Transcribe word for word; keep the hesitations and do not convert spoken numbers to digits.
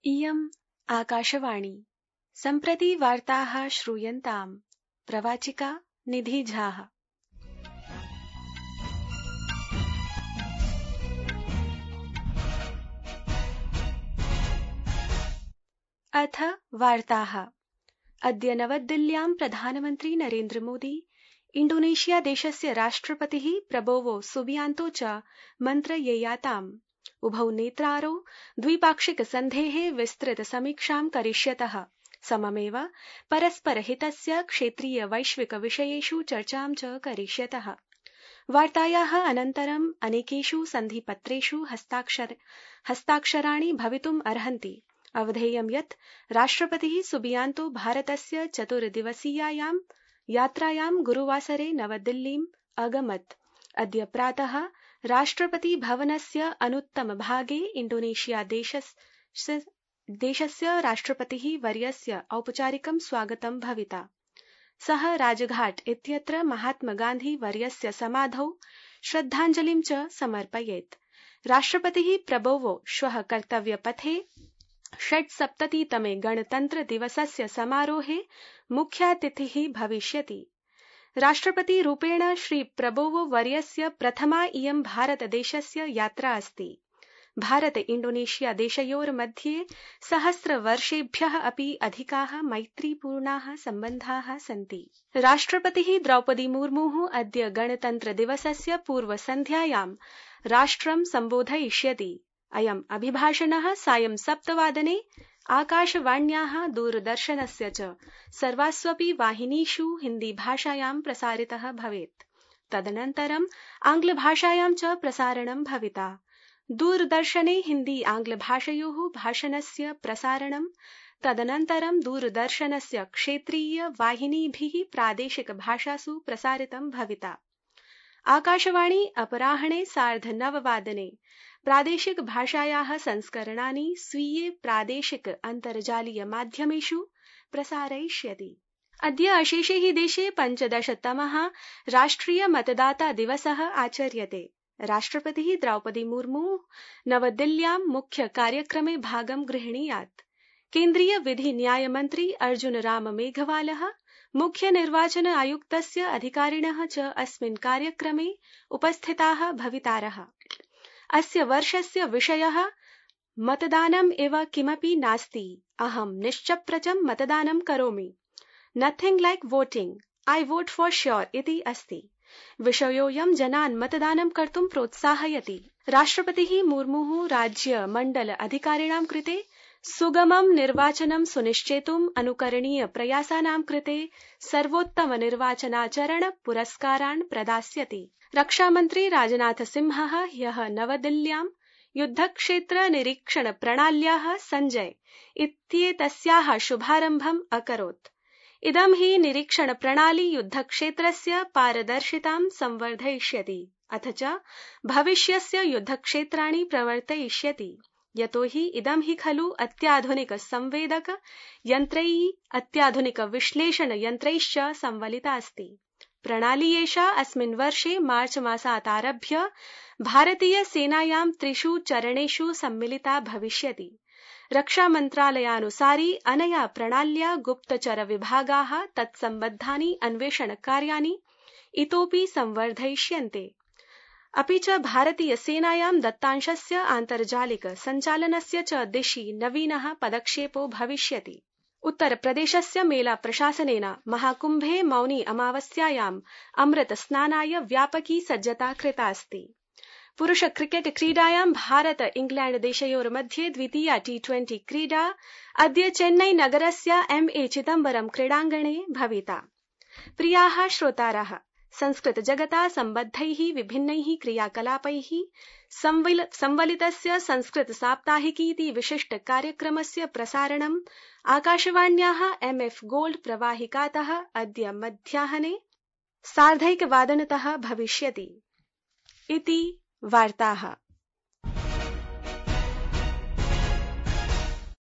इयम् आकाशवाणी सम्प्रति वार्ताः श्रूयन्ताम् प्रवाचिका निधि झा। अथ वार्ताः। अद्य नवदिल्ल्यां प्रधानमन्त्री नरेन्द्र मोदी इण्डोनेशिया देशस्य राष्ट्रपतिः प्रबोवो सुबियांतो च मन्त्रयेयाताम्। उभौ नेतारौ द्विपाक्षिक सन्धेः विस्तृत समीक्षां करिष्यतः। सममेव परस्परहितस्य क्षेत्रीय वैश्विक विषयेषु चर्चां च करिष्यतः। वार्तायाः अनन्तरम् अनेकेषु सन्धिपत्रेषु हस्ताक्षर हस्ताक्षराणि भवितुम् अर्हन्ति। अवधेयं यत् राष्ट्रपतिः सुबियांतो भारतस्य चतुर्दिवसीयायां यात्रायां गुरुवासरे नवदिल्लीम् अगमत्। अद्य प्रातः राष्ट्रपति भवनस्य अनुत्तमभागे इण्डोनेशिया देशस्य, देशस्य राष्ट्रपतिः वर्यस्य औपचारिकं स्वागतं भविता। सः राजघाट इत्यत्र महात्मा गान्धी वर्यस्य समाधौ श्रद्धाञ्जलिं च समर्पयेत्। राष्ट्रपतिः प्रबोवो श्वः कर्तव्यपथे षट्सप्ततितमे गणतन्त्र दिवसस्य समारोहे मुख्यातिथिः भविष्यति। राष्ट्रपति रूपेण श्री प्रबोवो वर्यस्य प्रथमा इयं भारतदेशस्य यात्रा अस्ति। भारत इण्डोनेशिया देशयोर्मध्ये सहस्रवर्षेभ्यः अपि अधिकाः मैत्रीपूर्णाः सम्बन्धाः सन्ति। राष्ट्रपतिः द्रौपदी मुर्मुः अद्य गणतन्त्र दिवसस्य पूर्वसन्ध्यायां राष्ट्रं सम्बोधयिष्यति। अयम् अभिभाषणः सायं सप्तवादने आकाशवाण्याः दूरदर्शनस्य च सर्वास्वपि वाहिनीषु हिन्दीभाषायां प्रसारितः भवेत्। तदनन्तरम् आङ्ग्लभाषायां च प्रसारणं भविता। दूरदर्शने हिन्दी आङ्ग्लभाषयोः भाषणस्य प्रसारणं, तदनन्तरं दूरदर्शनस्य क्षेत्रीय वाहिनीभिः प्रादेशिकभाषासु प्रसारितं भविता। आकाशवाणी अपराह्णे सार्धनववादने प्रादेशिक भाषायाः संस्करणानि स्वीये प्रादेशिक अन्तर्जालीय माध्यमेषु प्रसारयिष्यति। अद्य अशेषे हि देशे पञ्चदशतमः राष्ट्रिय मतदाता दिवसः आचर्यते। राष्ट्रपतिः द्रौपदी मुर्मु नवदिल्ल्यां मुख्य कार्यक्रमे भागं गृह्णीयात्। केन्द्रीय विधि न्यायमन्त्री अर्जुन राम मेघवालः, मुख्य निर्वाचन आयुक्तस्य अधिकारिणः च अस्मिन् कार्यक्रमे उपस्थिताः भवितारः। अस्य वर्षस्य विषयः मतदानम् एव किमपि नास्ति, अहं निश्चप्रचं मतदानं करोमि। Nothing like voting, I vote for sure इति अस्ति। विषयोऽयं जनान् मतदानं कर्तुं प्रोत्साहयति। राष्ट्रपतिः मुर्मुः राज्य मण्डल अधिकारिणां कृते सुगमं निर्वाचनं सुनिश्चेतुम् अनुकरणीय प्रयासानां कृते सर्वोत्तम निर्वाचनाचरण पुरस्कारान् प्रदास्यति। रक्षामन्त्री राजनाथ सिंहः ह्यः नवदिल्ल्यां युद्धक्षेत्र निरीक्षण प्रणाल्याः सञ्जय इत्येतस्याः शुभारम्भम् अकरोत्। इदं हि निरीक्षण प्रणाली युद्धक्षेत्रस्य पारदर्शितां संवर्धयिष्यति, अथ च भविष्यस्य युद्धक्षेत्राणि प्रवर्तयिष्यति। यतो हि इदं हि खलु अत्याधुनिक संवेदक यन्त्रैः अत्याधुनिक विश्लेषण यन्त्रैश्च संवलिता अस्ति। प्रणाली एषा अस्मिन् वर्षे मार्च मासात् आरभ्य भारतीय सेनायां त्रिषु चरणेषु सम्मिलिता भविष्यति। रक्षामन्त्रालयानुसारि अनया प्रणाल्या गुप्तचर विभागाः तत्सम्बद्धानि अन्वेषणकार्याणि इतोपि संवर्धयिष्यन्ते। अपि च भारतीय सेनायां दत्तांशस्य आन्तर्जालिक सञ्चालनस्य च दिशि नवीनः पदक्षेपो भविष्यति। उत्तरप्रदेशस्य मेला प्रशासनेन महाकुम्भे मौनी अमावस्यायाम् अमृत स्नानाय व्यापकी सज्जता कृता अस्ति। पुरुष क्रिकेट क्रीडायां भारत इंग्लैण्ड देशयोर्मध्ये द्वितीया टी ट्वेंटी क्रीडा अद्य चेन्नई नगरस्य एम ए चिदम्बरम क्रीडाङ्गणे भविता। प्रियाः श्रोतारः, संस्कृत जगता सम्बद्धैः विभिन्नैः क्रियाकलापैः संवलितस्य संस्कृत साप्ताहिकीति विशिष्ट कार्यक्रमस्य प्रसारणम् आकाशवाण्याः एम एफ गोल्ड प्रवाहिकातः अद्य मध्याह्ने सार्धैकवादनतः भविष्यति। इति वार्ताः।